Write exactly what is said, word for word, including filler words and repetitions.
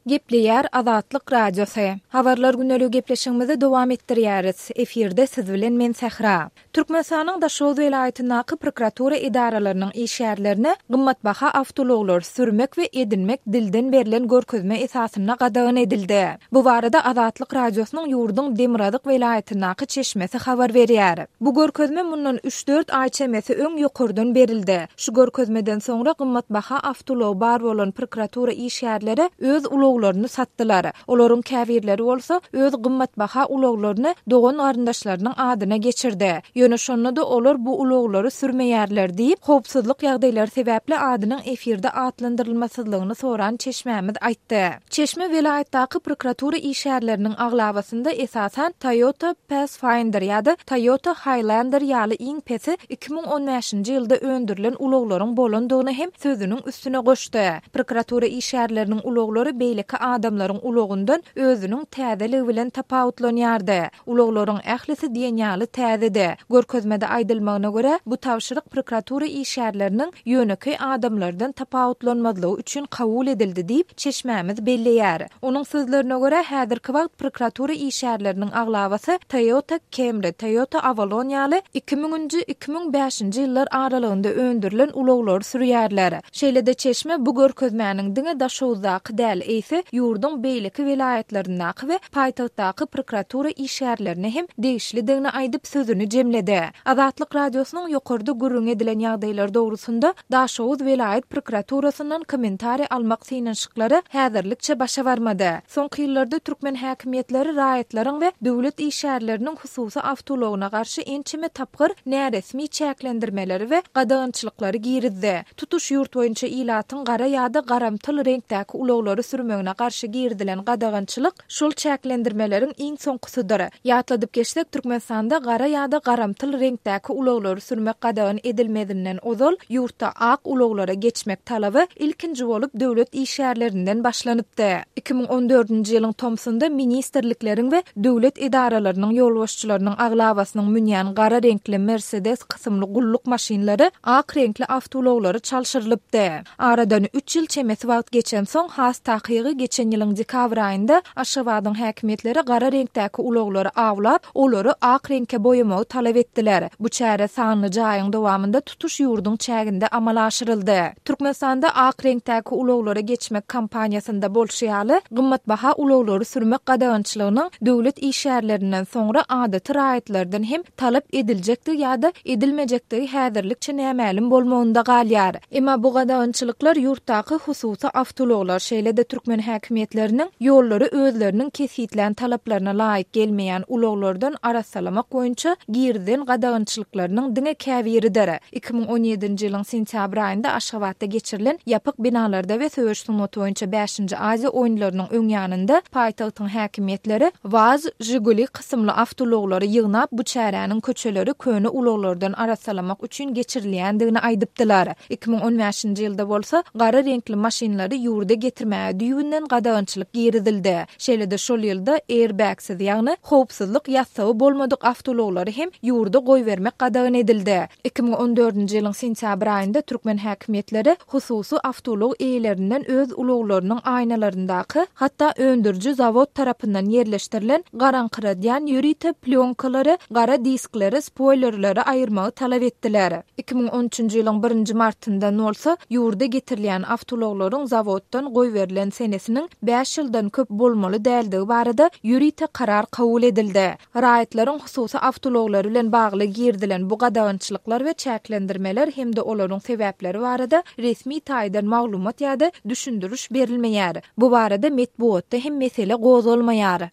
Gepleýär Azatlyk Radiosy. Habarlar gündeligi gepleşigimizi dowam etdirýäris. Efirde siz bilen men Sähra. Türkmenistanyň Daşoguz welaýatyndaky prokuratura edaralarynyň işgärlerine gymmatbaha awtoulaglary sürmek we edinmek dilden berlen görkezme esasynda gadagan edildi. Bu barada Azatlyk Radiosynyň ýurduň Demirgazyk welaýatyndaky çeşmesi habar berýär. Bu görkezme mundan üç-dört aý çemesi öň ýokardan berildi. Şu görkezmeden soňra gymmatbaha awtoulagy bar bolan prokuratura işgärleri öz ulaglaryny satdylar. Olaryň käbirleri bolsa öz gymmatbaha ulaglaryny dogan-garyndaşlarynyň adyna geçirdi. Ýöne şonda-da olar bu ulaglary sürmeýärler diýip, howpsuzlyk ýagdaýlary sebäpli adynyň efirde atlandyrylmasyzlygyny soran çeşmämiz aýtdy. Çeşme welaýatdaky prokuratura işgärleriniň aglabasynda esasan Toyota Pathfinder ýa-da Toyota Highlander ýaly iň pesi iki müň on bäşinji ýylda öndürilen ulaglaryň bolandygyny hem sözüniň üstüne goşdy. Prokuratura işgärleriniň ulaglary beýleki adamlaryň ulagyndan özüniň täzeligi bilen tapawutlanýardy. Ulaglaryň ählisi diýen ýaly täzedi. Görkezmede aýdylmagyna görä, bu tabşyryk prokuratura işgärleriniň ýönekeý adamlardan tapawutlanmazlygy üçin kabul edildi diýip, çeşmämiz belleýär. Onuň sözlerine görä, häzirki wagt prokuratura işgärleriniň aglabasy Toyota Camry, Toyota Avalon ýaly iki müňünji, iki müň bäşinji ýyllar aralygynda öndürilen ulaglary sürýärler. Şeýle-de çeşme bu görkezmäniň diňe Daşoguzdaky däl, eýse ýurduň beýleki welaýatlaryndaky we paýtagtdaky prokuratura işgärlerine hem degişlidigini aýdyp sözüni jemledi. Azatlyk Radiosynyň ýokarda gürrüň edilen ýagdaýlar dogrusynda Daşoguz welaýat prokuraturasyndan kommentariý almak synanyşyklary häzirlikçe başa barmady. Soňky ýyllarda türkmen häkimiýetleri raýatlaryň we döwlet işgärleriniň hususy awtoulagyna garşy ençeme tapgyr näresmi çäklendirmeleri we gadagançylyklary girizdi. Tutuş ýurt boýunça ilatyň gara ýa-da garamtyl reňkdäki ulaglary sürmegine garşy girizilen gadagançylyk şol çäklendirmeleriň iň soňkusydyr. Ýatladyp geçsek, Türkmenistanda gara ýa-da garamtyl reňkdäki ulaglary sürmek gadagan edilmezinden ozal ýurtda ak ulaglara geçmek talaby ilkinji bolup döwlet işgärlerinden başlanypdy. Iki müň on dördünji ýylyň tomsunda ministrlikleriň we döwlet edaralarynyň ýolbaşçylarynyň aglabasynyň münýän gara reňkli Mercedes kysymly gulluk maşynlary ak reňkli awtoulaglary çalşyrylypdy. Aradan üç ýyl çemesi wagt geçensoň, has takygy geçen ýylyň dekabr aýynda Aşgabadyň häkimiýetleri gara reňkdäki ulaglary awlap, olary ak reňke boýamagy talap etdiler. Bu çäre sanly jaýyň dowamynda tutuş ýurduň çäginde amala aşyryldy. Türkmenistanda ak reňkdäki ulaglara geçmek kampaniýasynda bolşy ýaly, gymmatbaha ulaglary sürmek gadagançylygynyň döwlet işgärlerinden soňra adaty raýatlardan hem talap ediljekdigi ýa-da edilmejekdigi häzirlikçe nämälim bolmagynda galýar. Emma bu gadagançylyklar ýurtdaky hususy awtoulaglar, şeýle-de türkmen häkimiýetleriniň ýollary özleriniň kesgitlän talaplaryna laýyk gelmeýän ulaglardan arassalamak boýunça girizilen gadagançylyklarynyň diňe käbiridir. Iki müň on ýedinji ýylyň sentýabr aýynda Aşgabatda geçirilen ýapyk binalarda we söweş sungaty boýunça bäşinji Aziýa oýunlarynyň öň ýanynda paýtagtyň häkimiýetleri WAZ Žiguli kysymly awtoulaglary ýygnap, bu çäräniň köçeleri köne ulaglardan arassalamak üçin geçirilýändigini aýdypdylar. Iki müň on bäşinji ýylda bolsa gara reňkli maşynlary ýurda getirmäge düýbünden gadagançylyk girizildi. Şeýle-de şol ýylda airbagsiz, ýagny howpsuzlyk ýassygy bolmadyk awtoulaglary hem ýurda goýbermek gadagan edildi. Iki müň on dördünji ýylyň sentýabr aýynda türkmen häkimiýetleri hususy awtoulag eýelerinden öz ulaglarynyň aýnalaryndaky, hatda öndüriji zawod tarapyndan ýerleşdirilen garaňkyradýan ýörite plýonkalary, gara diskleri, spoýlerleri aýyrmagy talap etdiler. Iki müň on üçünji ýylyň birinji martyndan bolsa ýurda getirilýän awtoulaglaryň zawoddan goýberilen senesiniň bäş ýyldan köp bolmaly däldigi barada ýörite karar kabul edildi. Raýatlaryň hususy awtoulaglary bilen bagly girizilen bu gadagançylyklar we çäklendirmeler hem-de olaryň sebäpleri barada resmi taýdan maglumat ýa-da düşündiriş berilmeýär. Bu barada metbugatda hem mesele gozgalmaýar.